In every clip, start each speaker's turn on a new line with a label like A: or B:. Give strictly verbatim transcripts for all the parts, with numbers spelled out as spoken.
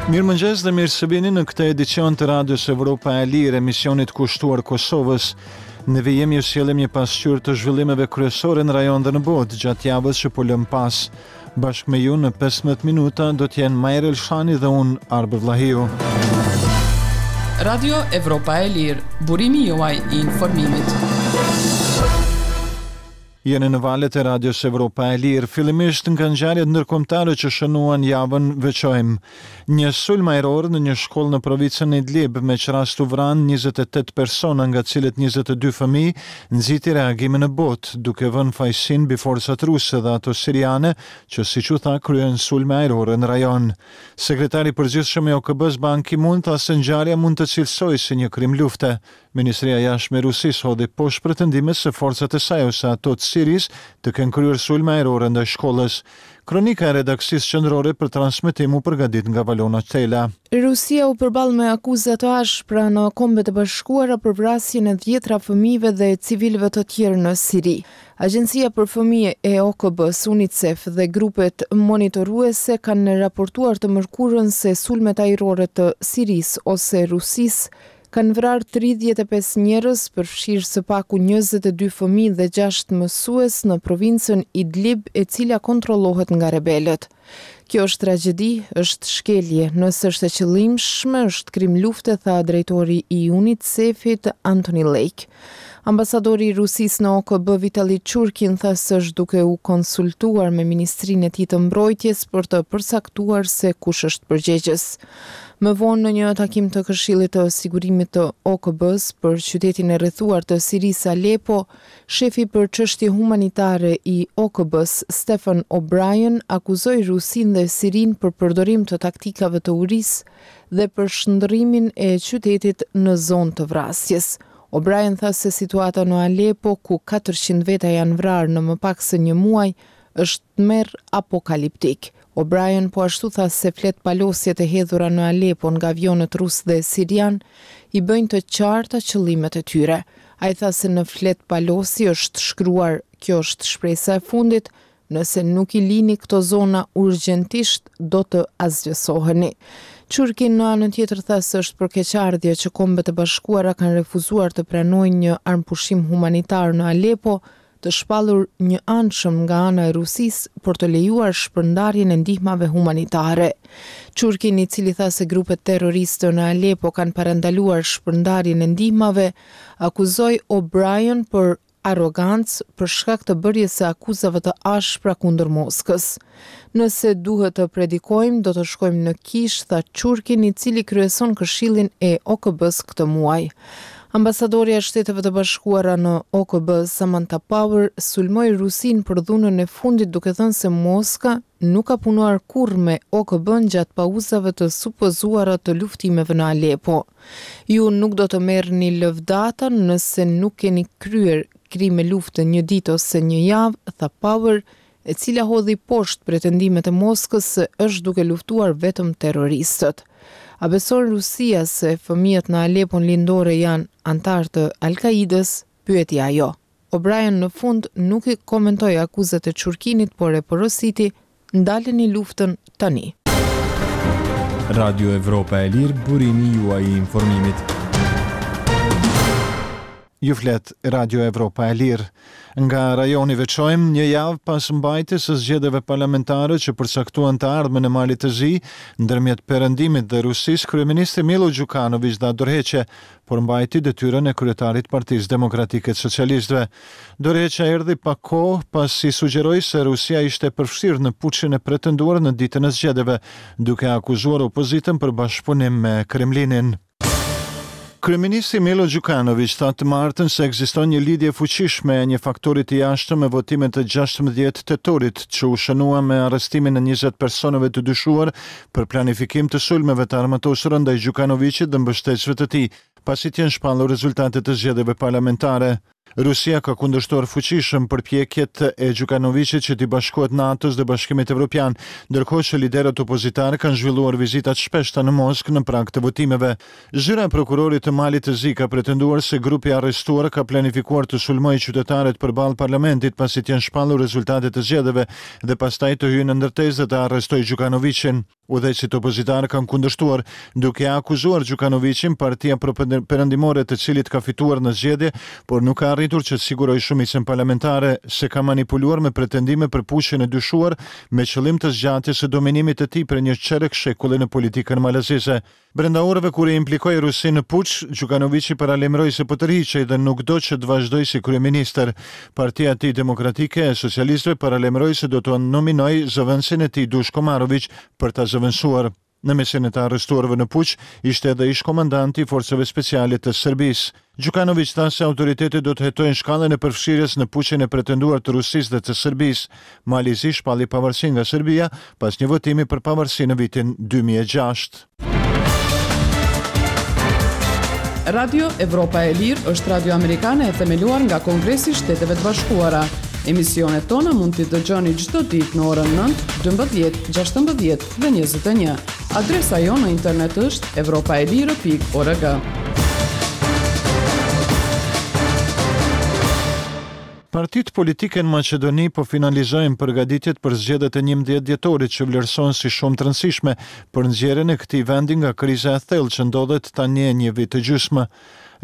A: Mirëmëngjes dhe mirë se vini në këtë edicion të Radios Evropa e Lirë, emisionit kushtuar Kosovës. Në vijim ju sjellim një pasqyrë të zhvillimeve kryesore në rajon dhe në botë gjatë javës që po lëm pas. Bashkë me ju në pesëmbëdhjetë minuta do të jenë Majër Elshani dhe unë, Arbër Vllahiu.
B: Radio Evropa e Lirë, burimi juaj i informimit.
A: Jeni në valët e Radios Evropa e Lirë. Fillimisht nga ngjarjet ndërkombëtare që shënuan javën veçojmë një sulm ajror në një shkollë në provincën Idlib, me ç'rast u vranë njëzet e tetë persona, nga të cilët njëzet e dy fëmijë, nxiti reagime në botë, duke vënë fajësinë mbi forcat ruse dhe ato siriane, që siç u tha kryen sulme ajrore në rajon. Sekretari i Përgjithshëm i O K B-së Ban Ki-moon tha se ngjarja mund të cilësohej si një krim lufte. Ministria e Jashtme e Rusisë hodhi poshtë pretendimet se forcat e saj ose ato të Sirisë të kenë kryer sulme ajrore ndaj shkollës. Kronika e redaksisë qendrore për transmetim u përgatit nga Valona Tela.
C: Rusia u përball me akuza të ashpra në Kombet e Bashkuara për vrasjen e dhjetra fëmijëve dhe civilëve të tjerë në Siri. Agjencia për Fëmijë e O K B-s, UNICEF dhe grupet monitoruese kanë raportuar të mërkurën se sulmet ajrore të Sirisë ose Rusisë kanë vrarë tridhjetë e pesë njerëz, përfshirë së paku njëzet e dy fëmijë dhe gjashtë mësues në provincën Idlib, e cila kontrollohet nga rebelët. Kjo është tragjedi, është shkelje, nëse është e qëllimshme, është krim lufte, tha drejtori i UNICEF-it Anthony Lake. Ambasadori i Rusisë në O K B Vitali Churkin tha se është duke u konsultuar me Ministrinë e tij të Mbrojtjes për të përcaktuar se kush është përgjegjës. Më vonë në një takim të Këshillit të Sigurimit të O K B-s për qytetin e rrethuar të Sirisë Aleppo, shefi për çështje humanitare i O K B-s Stephen O'Brien akuzoi Rusinë dhe Sirinë për përdorim të taktikave të urisë dhe për shndërrimin e qytetit në zonë të vrasjes. O'Brien tha se situata në Aleppo, ku katërqind veta janë vrarë në më pak se një muaj, është tmerr apokaliptik. O'Brien po ashtu tha se flet palosjet e hedhura në Aleppo nga avionët rus dhe sirian i bëjnë të qarta qëllimet e tyre. Ai tha se në flet palosi është shkruar: kjo është shpresa e fundit, nëse nuk i lini këto zona urgjentisht do të asgjësoheni. Churkin në anën tjetër tha se është për keqardhje që Kombet e Bashkuara kanë refuzuar të pranojnë një armëpushim humanitar në Aleppo, të shpallur një anshëm nga ana e Rusisë për të lejuar shpërndarjen e ndihmave humanitare. Churkin, i cili tha se grupet terroriste në Aleppo kanë parandaluar shpërndarjen e ndihmave, akuzoi O'Brien për arrogancë për shkak të bërjes së akuzave të ashpra kundër Moskës. Nëse duhet të predikojmë, do të shkojmë në kishë, tha Churkin, i cili kryeson Këshillin e O K B-s këtë muaj. Ambasadorja e Shteteve të Bashkuara në O K B, Samantha Power, sulmoi Rusinë për dhunën e fundit duke thënë se Moska nuk ka punuar kurrë me O K B-n gjatë pauzave të supozuara të luftimeve në Aleppo. Ju nuk do të merrni lëvdata nëse nuk keni kryer krime lufte një ditë ose një javë, tha Power, e cila hodhi poshtë pretendimet e Moskës se është duke luftuar vetëm terroristët. A beson Rusia se fëmijët në Alepon lindore janë antarë të Al-Qaidës? Pyeti ajo. O'Brien në fund nuk i komentoi akuzat e Churkinit, por e porositi: ndaleni luftën tani.
D: Radio Evropa e Lirë, burimi juaj i informimit.
A: Ju flet Radio Evropa e Lirë. Nga rajoni veçojmë një javë pas mbajtjes së zgjedhjeve parlamentare që përcaktuan të ardhmen e Malit të Zi, ndërmjet Perëndimit dhe Rusisë, kryeministri Milo Gjukanović dha dorëheqje, por mbajti detyrën e kryetarit të Partisë Demokratike të Socialistëve. Dorëheqja erdhi pak kohë pasi sugjeroi se Rusia ishte përfshirë në puçin e pretenduar në ditën e zgjedhjeve, duke akuzuar opozitën për bashkëpunim me Kremlinin. Kryeministri Milo Gjukanović tha të martën se ekziston një lidhje e fuqishme e një faktori të jashtëm me votimet e gjashtëmbëdhjetë tetorit, që u shënua me arrestimin e njëzet personave të dyshuar për planifikim të sulmeve të armatosura ndaj Gjukanovićit dhe mbështetësve të tij, pasi të jenë shpallur rezultatet e zgjedhjeve parlamentare. Rusia ka kundërshtuar fuqishëm përpjekjet e Gjukanoviqit që t'i bashkohet NATO-s dhe Bashkimit Evropian, ndërkohë që liderët opozitarë kanë zhvilluar vizita të shpeshta në Moskë në prag të votimeve. Zyra e prokurorit të Malit të Zi ka pretenduar se grupi i arrestuar ka planifikuar të sulmojë qytetarët përballë parlamentit pasi të jenë shpallur rezultatet e zgjedhjeve dhe pastaj të hyjë në ndërtesë dhe të arrestojë Gjukanoviqin. Udhëheqësit opozitarë kanë kundërshtuar, duke akuzuar Gjukanoviqin, partia pro-perëndimore të cilit ka fituar në zgjedhje, por nuk ka arritur që të sigurojë shumicën parlamentare, se ka manipuluar me pretendime për puçin e dyshuar me qëllim të zgjatjes së dominimit të tij për një çerek shekulli në politikën malazeze. Brenda orëve kur e implikoi Rusinë në puç, Gjukanoviqi paralajmëroi se po tërhiqej dhe nuk do që të vazhdojë si kryeministër. Partia e tij Demokratike e Socialistëve paralajmëroi se do të nominojë zëvendësin e tij Dushko Maroviq për ta zëvendësuar. Në mesin e të arrestuarve në puç ishte edhe ish komandanti i forcave speciale të Serbisë. Gjukanoviq tha se autoritetet do të hetojnë shkallën e përfshirjes në puçin e pretenduar të Rusisë dhe të Serbisë. Mali i Zi shpalli pavarësinë nga Serbia pas një votimi për pavarësi në vitin dy mijë e gjashtë.
B: Radio Evropa e Lirë është radio amerikane e themeluar nga Kongresi i Shteteve të Bashkuara. Emisionet tona mund t'i dëgjoni çdo ditë në orën nëntë, dymbëdhjetë, gjashtëmbëdhjetë dhe njëzet e një. Adresa jonë në internet është evropaelire pikë org.
A: Partitë politike në Maqedoni po finalizojnë përgatitjet për zgjedhjet e njëmbëdhjetë dhjetorit që vlerësohen si shumë të rëndësishme për nxjerrjen e këtij vendi nga kriza e thellë që ndodhet tani e një vit e gjysmë.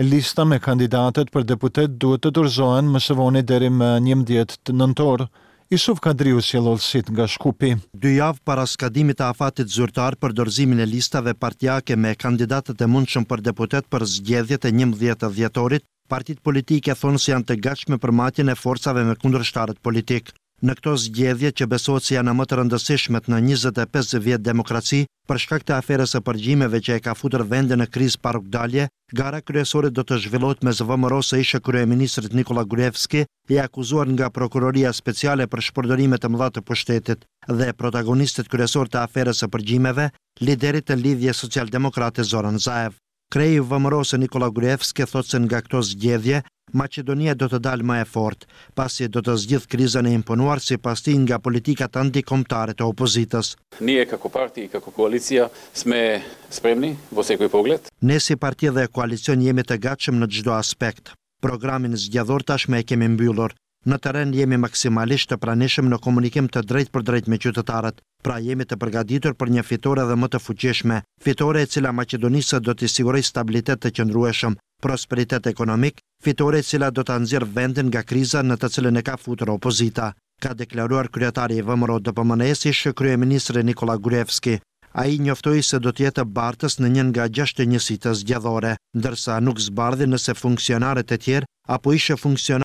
A: Lista me kandidatët për deputet duhet të dorëzohen më së voni deri më njëmbëdhjetë nëntor. Isuf Kadriu sjell hollësitë nga Shkupi.
E: Dy javë para skadimit të afatit zyrtar për dorëzimin e listave partiake me kandidatët e mundshëm për deputet për zgjedhjet e njëmbëdhjetë dhjetorit, partitë politike thonë se janë të gatshme për matjen e forcave me kundërshtarët politik. Në këto zgjedhje që besohet se janë më të rëndësishmet në njëzet e pesë vjet demokraci, për shkak të aferës së përgjimeve që e ka futur vendin në krizë pa rrugdalje, gara kryesore do të zhvillohet mes V M R-së së ish kryeministrit Nikola Gruevski, i akuzuar nga Prokuroria Speciale për shpërdorime të mëdha të pushtetit, dhe protagonistët kryesor të aferës së përgjimeve, liderit të Lidhjes Socialdemokrate Zoran Zaev. Kreu i V M R-së Nikola Gruevski thotë se nga këto zgjedhje Maqedonia do të dalë më e fortë, pasi do të zgjidh krizën e imponuar sipas tij nga politikat antikombëtare të opozitës.
F: Ние како parti i како koalicija sme spremni во секој поглед.
E: Ne si parti dhe koalicion jemi të gatshëm në çdo aspekt. Programin zgjedhor tashmë e kemi mbyllur. Në terren jemi maksimalisht të pranishëm në komunikim të drejtë për drejtë me qytetarët. Pra jemi të përgatitur për një fitore edhe më të fuqishme, fitore e cila Maqedonisë do t'i sigurojë stabilitet të qëndrueshëm, prosperitet ekonomik, fitore e cila do ta nxjerrë vendin nga kriza në të cilën e ka futur opozita, ka deklaruar kryetari i V M R D P M N-s, ish kryeministri Nikola Gruevski. Ai njoftoi se do të jetë bartës në një nga gjashtë njësitë zgjedhore, ndërsa nuk zbardhi nëse funksionarët e tjerë apo ishe funksionarë